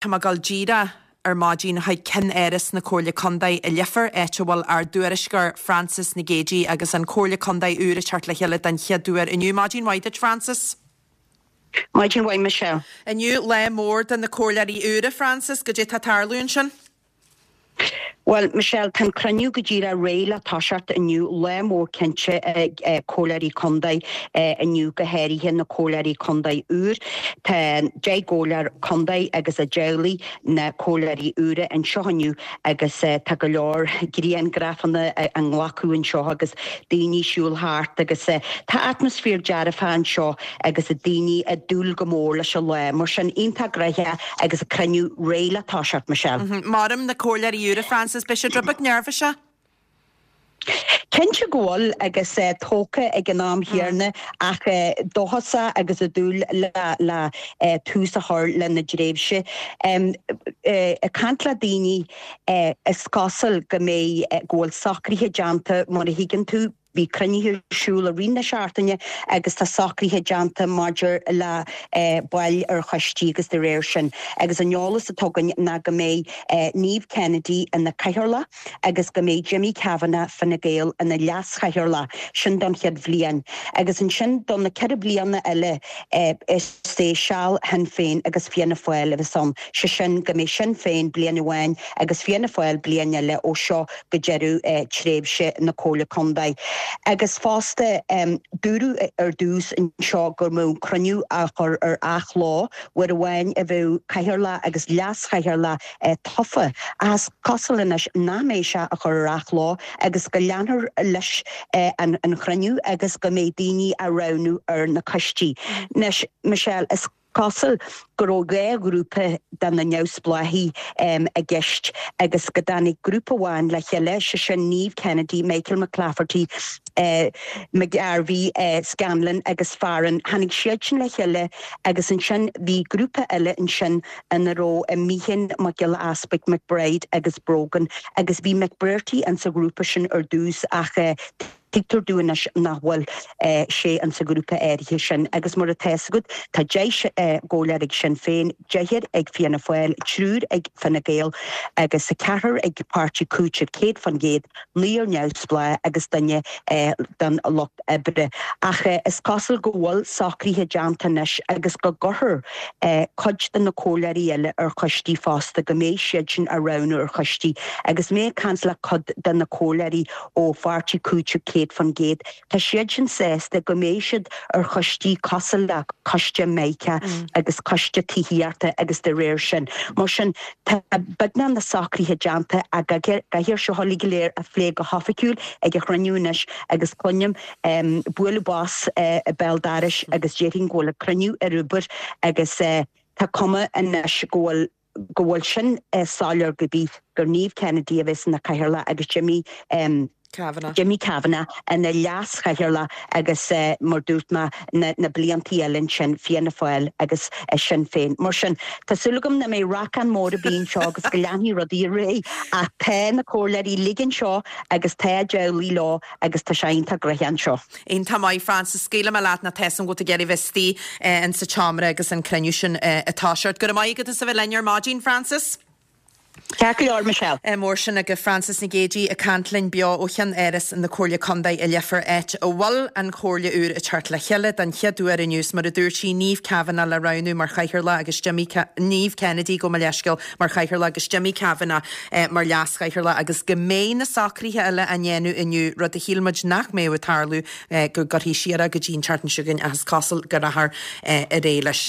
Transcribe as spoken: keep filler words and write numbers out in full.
Tá mé ag dul díreach ar maidin chuig ceannáras na Comhairle Contae i Leifear, áit a bhfuil ár dtuairisceoir Frances Nic Géadaigh agus an Comhairle Contae úr ag teacht le chéile den chéad uair inniu. Maidin mhaith duit, Frances. Maidin mhaith, Michelle. Inniu lá mór do na comhairleoirí úra, Frances, goidé tá ag tarlú ansin? Bhuel, Michelle, tá an cruinniú go díreach réidh le toiseacht inniu, lá mór cinnte ag comhairleoirí contae inniu, go háirithe na comhairleoirí contae úr. Tá deich gcomhairleoir contae agus a dteaghlaigh, na comhairleoirí úra anseo inniu agus tá go leor grianghrafanna á nglacadh anseo agus daoine ag siúl thart agus tá atmaisféar dearfach anseo agus daoine ag dúil go mór leis an lá. Mar sin, iontach gnoitheach agus an cruinniú réidh le toiseacht, Michelle. Maram na comhairleoirí úra, Frances, beidh siad rud beag neirbhíseach. Cinnte go bhfuil agus tógtha ag an am chéanna ach dóchasach agus ag dúil le le tús a chur lena dtréimhse. Ag caint le daoine is cosúil go mbeidh go bhfuil socruithe déanta mar a thuigeann tú, Bhí cruinnithe ar siúl i rith na seachtaine agus tá socruithe déanta maidir le baill ar choistí agus de réir sin. Agus an eolas atá againn ná go mbeidh Niamh Kennedy ina Cathaoirleach agus go mbeidh Jimmy Kavanagh, Fine Gael, ina Leas-Chathaoirleach, sin don chéad bhliain. Agus ansin do na ceithre bliana eile is é seal Shinn Féin agus Fianna Fáil a bheas ann, sé sin go mbeidh Sinn Féin bliain amháin agus Fianna Fáil bliain eile ó seo go deireadh tréimhse na Comhairle Contae. Agus fosta, dúradh ar dtús anseo go mbeadh cruinniú á chur ar athló, uair amháin a bheadh cathaoirleach agus leas-chathaoirleach tofa, ach is cosúil anois nach mbeidh sé á chur ar athló agus go leanfar leis an chruinniú agus go mbeidh daoine á roghnú ar na coistí. Anois, Michelle, is. cosúil go raibh dhá ghrúpa de na neamhspleáchaigh i gceist agus go dtáinig grúpa amháin le chéile, sé sin Niamh Kennedy, Michael McClafferty, McGarvey, Scanlon agus Farren. Tháinig siad sin le chéile agus ansin bhí grúpa eile ansin ina raibh Meehan, Mac Giolla Easpaig, McBride agus Brogan agus bhí McBrearty insa ghrúpa sin ar dtús ach Tuigtear dúinn anois nach bhfuil sé insa ghrúpa áirithe sin agus mar atá fhios agat tá deich gcomhairleoir ag Sinn Féin, deichniúr ag Fianna Fáil, triúr ag Fine Gael agus ceathrar ag Páirtí Cúitimh céad faoin gcéad, naonúr neamhspleách agus duine don Lucht Oibre. Ach is cosúil go bhfuil socruithe déanta anois agus go gcuirfear cuid de na comhairleoirí eile ar choistí fosta, go mbeidh siad sin á roghnú ar choistí. Agus mé ag caint le cuid de na comhairleoirí ó Pháirtí Cúitimh céad faoin gcéad, tá siad sin sásta go mbeidh siad ar choistí cosúil le Coiste Mica agus Coiste Tithíochta agus de réir sin. Mar sin, tá beagnach na socruithe déanta ach caithfear seo uilig go léir a phlé go hoifigiúil ag an chruinniú anois agus cluinim bualadh bos ag béal dorais agus déarfainn go bhfuil an cruinniú ar obair agus tá cuma anois go bhfuil go bhfuil sin soiléir go bith gur Niamh Kennedy a bheas ina cathaoirleach agus Jimmy Kavanagh. Jimmy Kavanagh ina leas-chathaoirleach agus mar dúirt mé na na bliantaí eile ansin Fianna Fáil agus Sinn Féin. Mar sin tá súil agam nach mbeidh racán mór ar bith anseo agus go leanfaidh rudaí ar aghaidh ach tá na comhairleoirí uilig anseo agus tá a dteaghlaigh leo agus tá sé iontach gnoitheach anseo. Iontach maith Frances, scaoilfidh mé leat nó tá 'fhios a'm go bhfuil tú ag iarraidh bheith istigh in sa tseomra agus an cruinniú sin ag toiseacht. Go raibh maith agat as a bheith linn ar maidin, Frances. Ceart go leor, Michelle. Mór sin agaibh Frances Nic Géadaigh ag caint linn beo ó cheann-áras na Comhairle Contae i Leifear áit a bhfuil an Chomhairle úr ag teacht le chéile den chéad uair inniu 's mar a dúirt sí Niamh Kavanagh le roghnú mar Chathaoirleach agus Jimmy Niamh Kennedy gabh mo leithscéal mar Chathaoirleach agus Jimmy Kavanagh mar Leas-Chathaoirleach agus go mbeidh na socruithe eile á ndéanamh inniu, rud a shíl muid nach mbeadh ag tarlú, go gcuirfí siar é go dtí an tseachtain seo chugainn ach is cosúil go rachfar ar aghaidh leis.